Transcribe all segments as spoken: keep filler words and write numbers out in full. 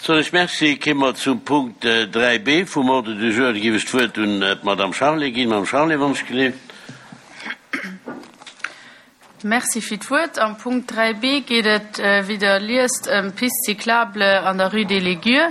Soen ech Merci. Kéime mer zum Punkt dräi b vum Ordre du jour. Da géif ech d'Wuert un d'Madame Charlé ginn. Madame Charlé, wann ech geleeft. Merci fir d'Wuert. Am Punkt dräi b geet et, wéi Der liest, ëm d'Piste cyclable an der Rue des Ligures.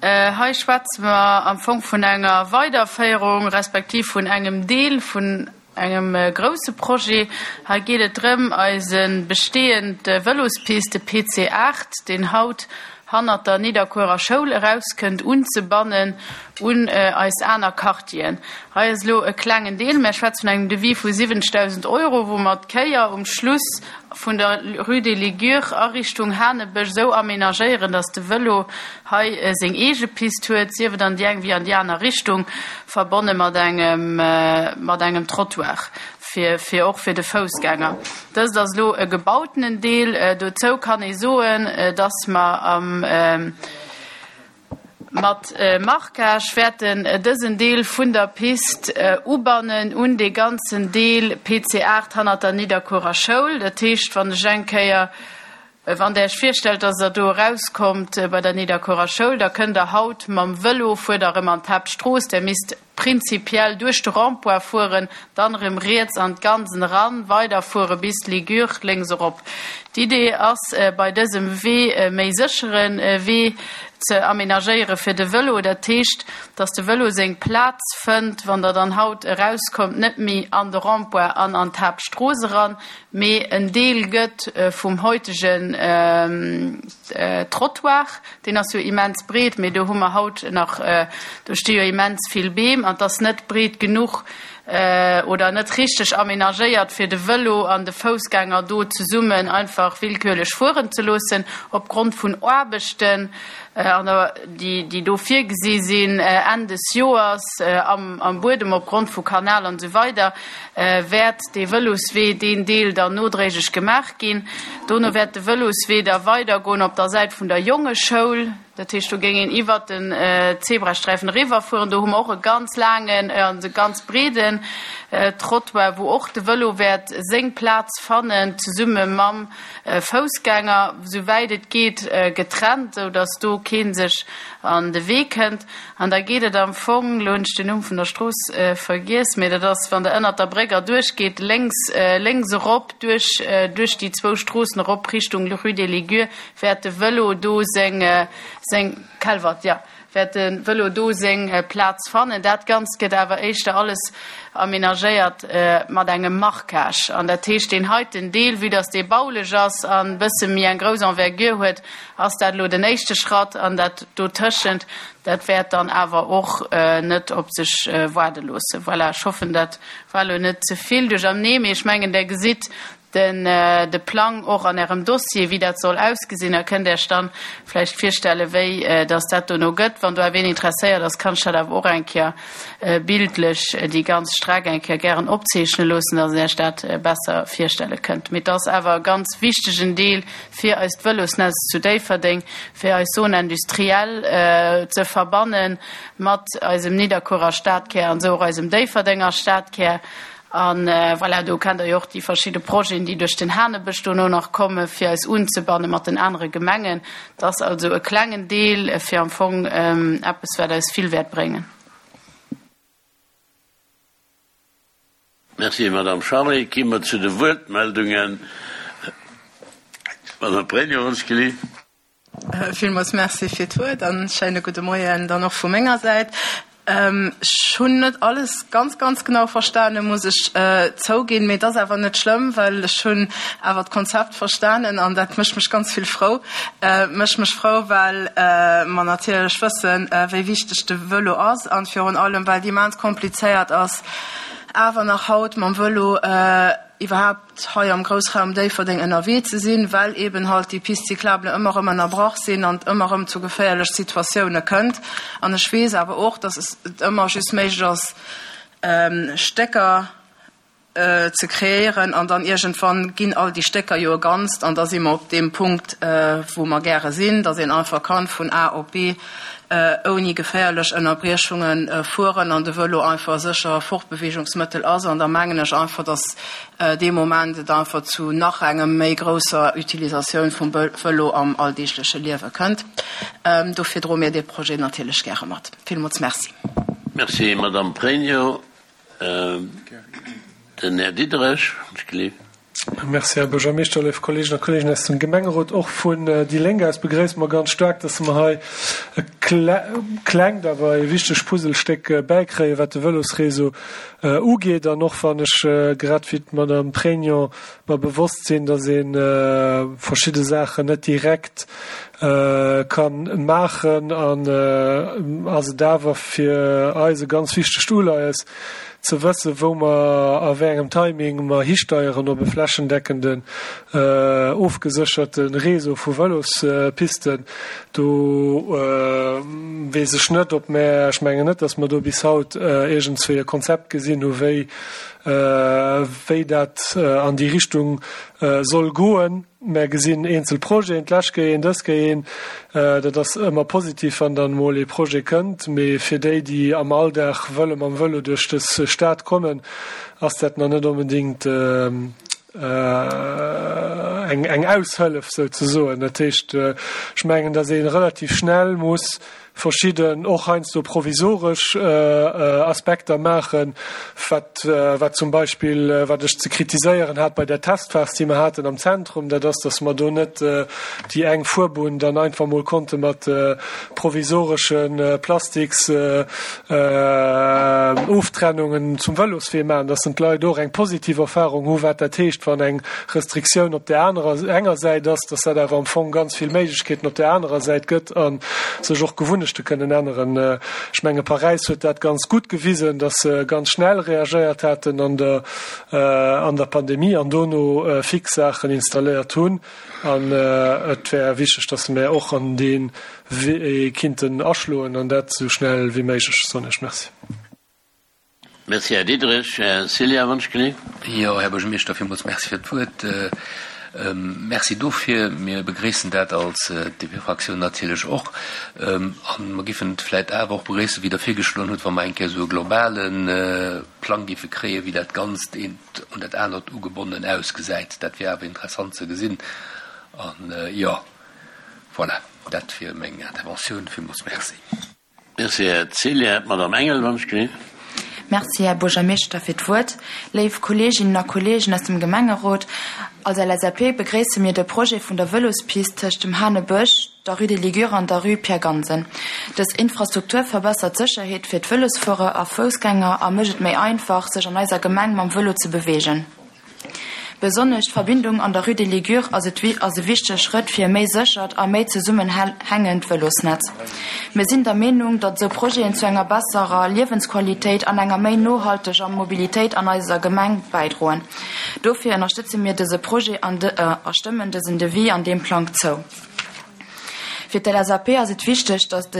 Hei schwätze mer am Fong vun enger Weiderféierung respektiv vun engem Deel vun engem grousse Projet. Hei geet et drëm, eise bestehend Vëlospiste, de P C aacht, deen haut hannert der Nidderkuerer Schoul erauskënnt, unzebannen un eis aner Quartieren. Hei ass elo e klengen Deel, mä schwätze vun engem Devis vu siwwenzegdausend Euro, wou mer d'Kéier um Schluss vun der Rue des Ligures a Richtung Hanebësch esou amenagéieren, dass de Vëlo hei seng eege Pist huet, sief et an déi eng wéi an déi aner Richtung, verbonne mat engem mat engem Trottoir fir fir och fir de Foussgänger. Dëst ass elo e gebautenen Deel. Dozou kann ee soen, dass mer am mat Marquage wäerten dësen Deel vun der Pist ubannen un dee ganzen Deel P C aacht hannert der Nidderkuerer Schoul. Dat heescht, wann ech eng Kéier, wann Der Iech virstellt, dass Der do erauskommt bei der Nidderkuerer Schoul, da kënnt Der haut mam Vëlo, fuert Der erëm an d'Haaptstrooss, Der misst prinzipiell duerch de Rond-point fueren, dann erëm riets an d'Gansen eran, weiderfuere bis d'Ligure lénks erop. D'Idee ass bei dësem Wee méi séchere Wee ze amenagéiere fir de Vëlo. Dat heescht, dass de Vëlo seng Plaz fënnt, wann Der dann haut erauskommt, net méi an de Rond-point an an d'Haaptstrooss eran, mee en Deel gëtt vum heutegen Trottoir. Deen ass jo immens breet, mee do hu mer haut nach, do sti jo immens vill Beem an 't ass net breet genuch oder net richteg amenagéiert fir de Vëlo an de Foussgänger do zesummen einfach willkürlech fueren ze loossen. Opgrond vun Aarbechten an der déi déi do virgesi sinn Enn des Joers am am Buedem opgrond vu Kanal an esou weider wäert dee Vëloswee deen Deel dann nodréiglech gemaach ginn. Dono wäert de Vëloswee da weidergoen op der Säit vun der Jongeschoul. Dat heescht, do géing een iwwert den Zebrasträifen eriwwerfueren. Do hu mer och e ganz laangen an e ganz breeden Trottoir, wou och de Vëlo wäert seng Plaz fannen, zesumme mam Foussgänger, souwäit et geet getrennt, sou datt do kee sech an de Wee kënnt. An da geet et am Fong, elo hunn ech den Numm vun der Strooss vergiess, mee dat ass, wann Der ënnert der Bréck erduerch geet, lénks, lénks erop duerch, duerch déi zwou Stroossen erop Richtung Rue des Ligures, wäert de Vëlo do seng, seng, Kelwert, jo, wäert de Vëlo do seng Plaz fannen. Dat Ganzt gëtt awer éischter alles amenagéiert mat engem Marquage. An dat heescht, deen heiten Deel, vue dass dee baulech ass an e bësse méi eng grouss Envergure huet, ass dat elo den éischte Schratt. An dat dotëschent, dat wäert dann awer och net op sech waarde loossen. Voilà, ech hoffen, dat war elo net ze vill duerchernee, mee ech mengen, Der gesitt den de Plang och an Ärem Dossier, wéi dat soll ausgesinn. Da kënnt Der Iech dann vläicht virstellen, wéi dass dat dono gëtt. Wann do awer een interesséiert ass, kann ech dat awer och eng Kéier bildlech déi ganz Streck eng Kéier gären opzeechne loossen, dass Der Iech dat besser virstelle kënnt. Mee et ass awer e ganz wichtegen Deel fir eist Vëlosnetz zu Déifferdeng, fir eis Zone industrielle ze verbanne mat eisem Nidderkuerer Stadkär an esou och eisem Déifferdenger Stadkär. An voilà, do kennt Der jo och déi verschidde Projeten, déi duerch den Hanebësch dono nach komme fir eis unzebanne mat den anere Gemengen. Dat ass also e klengen Deel fir am Fong eppes, wat eis vill wäert bréngen. Merci, Madame Charlé. Gi mer zu de Wuertmeldungen. Madame Pregno, wann ech gelift. Villmools Merci fir d'Wuert an schéine gudde Moien dann och vu menger Säit. Ech hunn net alles ganz, ganz genau verstanen, muss ech zouginn, mee et ass awer net schlëmm, well ech hunn awer d'Konzept verstanen an dat mécht mech ganz vill frou. Mécht mech frou, well mer natierlech wëssen, wéi wichteg de Vëlo ass an virun allem, well et immens komplizéiert ass, awer nach haut mam Vëlo iwwerhaapt hei am Groussraum Déifferdeng ënnerwee ze sinn, well eben halt déi Pistes cyclables ëmmer erëm ënnerbrach sinn an et ëmmer erëm zu geféierlech Situatioune kënnt. An ech weess awer och, dass et ëmmer just méiglech ass, Stécker ze kreéieren an dann iergendwann ginn all déi Stécker jo e Ganzt an da si mer op deem Punkt, wou mer gäre sinn, dass een einfach kann vun A op B ouni geféierlech Ënnerbriechunge fueren an de Vëlo einfach e sécher Fortbeweegungsmëttel ass. An da mengen ech einfach, dass dee Moment et einfach zu nach engem méi grousser Utilisatioun vum Vëlo am alldeegleche Liewe kënnt. Dofir droe mir dee Projet natierlech gäre mat. Villmools Merci. Merci, Madame Pregno. Den Här Diderich, ech gleef. Merci, Här Buergermeeschter, léif Kolleegen a Kolleegen aus dem Gemengerot. Och vun déi Lénk aus begréisse mer ganz staark, dass mer hei e klengt, awer e wichtegt Puzzlestéck bäikréien, wat de Vëlosréseau ugeet. An och wann ech, grad wéi d'Madame Pregno, mer bewosst sinn, dass ee verschidde Saachen net direkt ka maachen, an ass et awer fir eis e ganz wichtegt Uleies, ze wëssen, wou mer a wéi engem Timing mer histeieren op e flächendeckenden, ofgesécherte Réseau vu Vëlospisten. Do weess ech net, ob mer, ech mengen net, datt mer do bis haut iergendswéi e Konzept gesinn hu wéi, wéi dat an déi Richtung soll goen. Mer gesinn eenzel Projeten, d'lescht Kéier een, dës Kéier een. Dat ass ëmmer positiv, wann dann emol ee Projet kënnt. Mee fir déi, déi am Alldag wëlle mam Vëlo duerch dës Stad kommen, ass dat nach net onbedéngt eng Aushëllef souzesoen. Dat heescht, ech mengen, datt ee relativ schnell muss verschidden, och heiansdo provisoresch Aspekter maachen, wat, wat zum Beispill, wat ech ze kritiséieren hat bei där Testphas, déi mer haten am Zentrum, dat ass, dass mer do net déi eng Fuerbunn dann einfach mol konnte mat provisoresche Plastiks Oftrennungen zum Vëloswee maachen, dass dann d'Leit och eng positiv Erfahrung hu wat dat heescht, wann eng Restriktioun op där anerer, enger Säit ass, dass dat awer am Fong ganz vill Méiglechkeeten op där anerer Säit gëtt a sech och Gewunnechte kënnen änneren. Ech menge Paräis huet dat ganz gutt gewisen, datt se ganz schnell reagéiert haten an der an der Pandemie an dono fix Saachen installéiert hunn. An et wär wichteg, datt mär och an dee Wee kinnten aschloen an dat esou schnell wéi méiglech, soen ech. Merci. Merci, Här Diderich. Här Cillien, wann ech genee. Jo, Här Buergermeeschter, villmools Merci fir d'Wuert. Merci dofir. Mir begréissen dat als D P-Fraktioun natierlech och. A mer giffen et vläicht awer och begréissen, wéi Der virgeschloen hutt, wa mer eng Kéier esou e globale Plang giffe kréien, wéi dat Ganzt eent un dat anert ugebonnen ausgesäit. Dat wier awer interessant ze gesinn. An, jo, voilà, dat wier meng Interventioun. Villmools Merci. Merci, Här Cillien. D'Madame Engel, wann ech genee. Merci, Här Buergermeeschter, fir d'Wuert. Léif Kolleeginnen a Kolleegen aus dem Gemengerot, als L S A P begréisse mir de Projet vun der Vëlospist tëscht dem Hanebësch, der Rue des Ligures an der Rue Pierre Gansen. Dës Infrastruktur verbessert d'Sécherheet fir d'Vëlosfuerer a Foussgänger a mécht et méi einfach, sech an eiser Gemeng mam Vëlo ze beweegen. Besonnesch d'Verbindung an der Rue des Ligures ass et ass e wichtege Schrëtt fir e méi séchert a méi zesummenhängend Vëlosnetz. Mir sinn der Meenung, datt esou Projeten zu enger besserer Liewensqualitéit an enger méi nohalteger Mobilitéit an eiser Gemeng bäidroen. Dofir ënnerstëtze mir dëse Projet an de, a stëmmen dësen Devis an deem Plang zou. Fir d'L S A P ass et wichteg, datt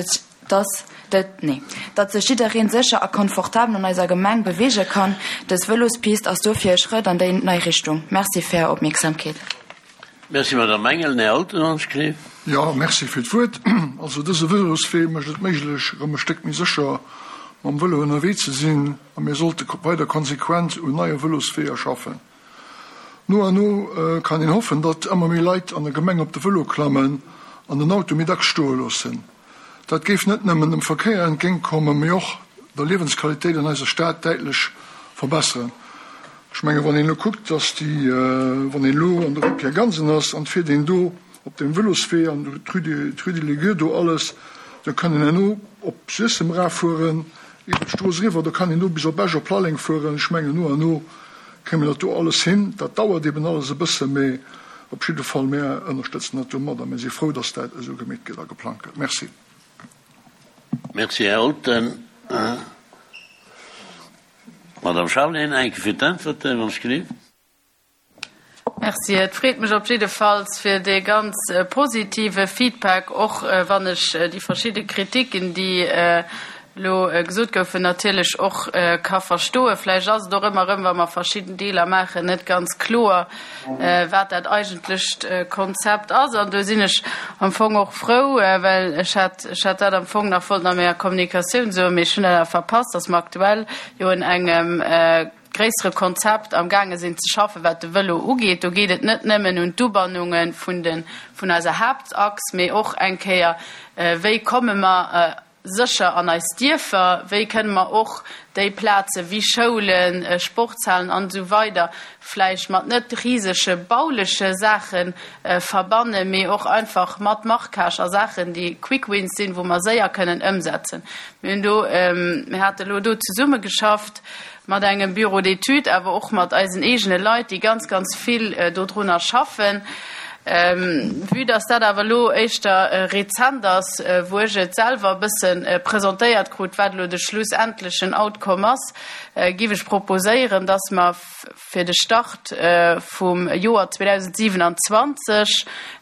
datt nee, datt sech jiddereen sécher a komfortabel an eiser Gemeng beweege kann. Dës Vëlospist ass dofir e Schrëtt an déi nei Richtung. Merci fir Är Opmierksamkeet. Merci, Madame Engel. Här Olten, wann ech genee. Jo, merci fir d'Wuert. Also dëse Vëloswee mécht et méiglech, erëm e Stéck méi sécher mam Vëlo ënnerwee ze sinn a mir sollte weider konsequent un neie Vëlosweeër schaffen. No an no kann een hoffen, datt ëmmer méi Leit an der Gemeng op de Vëlo klammen an den Auto méi dacks stoe loossen. Dat géif net nëmmen dem Verkéier entgéintkommen, mee och der Liewensqualitéit an eiser Stad däitlech verbesseren. Ech mengen, wann een elo kuckt, datt déi, wann een elo an der Rue Pierre Gansen ass an et fiert een do op dem Vëloswee an d'Rue de, d'Rue des Ligures do alles, da kann een herno op Suessem eraffueren, iwwer d'Strooss eriwwer, da kann een do bis op Esch, op Lalleng fueren. Ech mengen, no an no kréie mir dat do alles hin. Dat dauert eben alles e bësse, mee op jidde Fall, mir ënnerstëtzen dat do mat a mir si frou, datt dat esou gemeet gëtt a geplangt gëtt. Merci. Merci, Här Olten. Madame Charlé, eng Kéier fir d'Äntwerte, wann ech genee. Merci. Et freet mech op jiddefalls fir dee ganz positive Feedback, och wann ech déi verschidde Kritiken, déi elo gesot goufen, natierlech och ka verstoen. Vläicht ass et och ëmmer erëm, wa mer verschidden Deeler maachen, net ganz kloer, wat dat eigentlecht Konzept ass. An do sinn ech am Fong och frou, well ech hat, ech hat dat am Fong nach wollt a menger Kommunikatioun soen, mee ech hunn dat awer verpasst, dass mer aktuell jo un engem gréissere Konzept am gaange sinn ze schaffen, wat de Vëlo ugeet. Do geet et net nëmmen un d'Ubannunge vun de, vun eiser Haaptachs, mee och eng Kéier, wéi komme mer sécher an eis Dierfer, wéi kënne mer och déi Plaze wéi Schoulen, Sportshalen an esou weider vläicht mat net risege bauleche Saache verbannen, mee och einfach mat Marquage a Saachen, déi Quick wins sinn, wou mer séier kënnen ëmsetzen. Mir hunn do, mir hate elo do zesummegeschafft mat engem Bureau d'études, awer och mat eisen eegene Leit, déi ganz, ganz vill dodrunner schaffen. Vue dass dat awer elo éischter rezent ass, wou ech et selwer e bësse presentéiert krut, wat elo de schlussendlechen Outcome ass, giff ech proposéieren, dass mer fir de Start vum Joer zweedausendsiewenundzwanzeg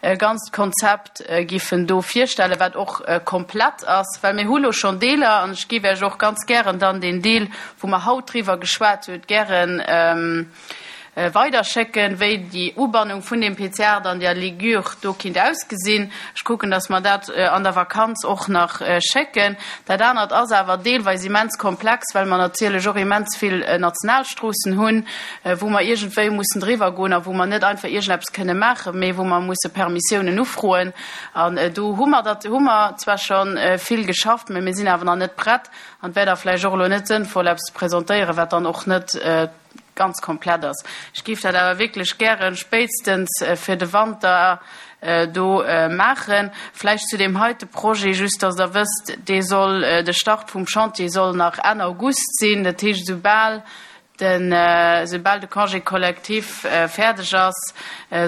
e ganzt Konzept giffen do virstellen, wat och komplett ass, well mir hu lo schonn Deeler, an ech giff Iech och ganz gären dann deen Deel, wou mer haut driwwer geschwat huet, gären weiderschécken, wéi déi Ubannung vun deem P C aacht an der Ligure do kinnt ausgesinn. Ech kucken, dass mer dat an der Vakanz och nach schécken. Dat anert ass awer deelweis immens komplex, well mer natierlech och immens vill Nationalstroossen hunn, wou mer iergendwéi mussen driwwer goen a wou mer net einfach iergendeppes kënne maachen, mee wou mer musse Permissiounen ufroen. An do hu mer dat, hu mer zwar scho vill geschafft, mee mir sinn awer nach net prett an et wär da vläicht och elo net sënnvoll, eppes ze presentéieren, wat dann och net ganz komplett ass. Ech géif dat awer wierklech gären spéitstens fir de Wanter do maachen. Vläicht zu deem heite Projet, just dass Der wësst, dee soll, de Start vum Chantier soll nach Enn August sinn. Dat heescht, esoubal den, esoubal de Congé collectif fäerdeg ass,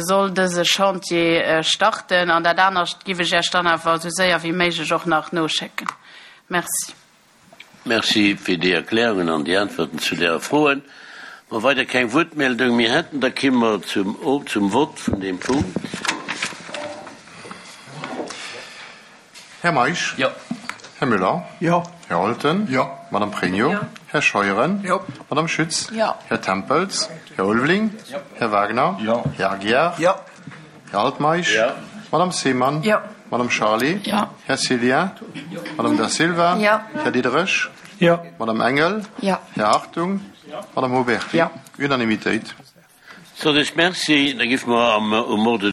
soll dëse Chantier starten. An dat anescht giff ech Iech dann awer esou séier wéi méiglech och nach noschécken. Merci. Merci fir déi Erklärungen an déi Äntwerten zu däre Froen. Wa weider keng Wuertmeldung méi hätten, da kimme mer zum, zum Vott vun deem Punkt. Här Meisch? Jo. Här Müller? Jo. Här Holten? Jo. Madame Pregno? Jo. Här Scheuren? Jo. Madame Schütz? Jo. Här Tempels? Här Ulveling? Jo. Här Wagner? Jo. Här Aguiar? Jo. Här Altmeisch? Jo. Madame Seemann? Jo. Madame Charlé? Jo. Här Cillien? Jo. Madame Da Silva? Jo. Här Diderich? Jo. Madame Engel? Jo. Här Hartung? Madame Oberti? Jo. Unanimitéit. Sot ech Merci, da giffe mer am um Ordre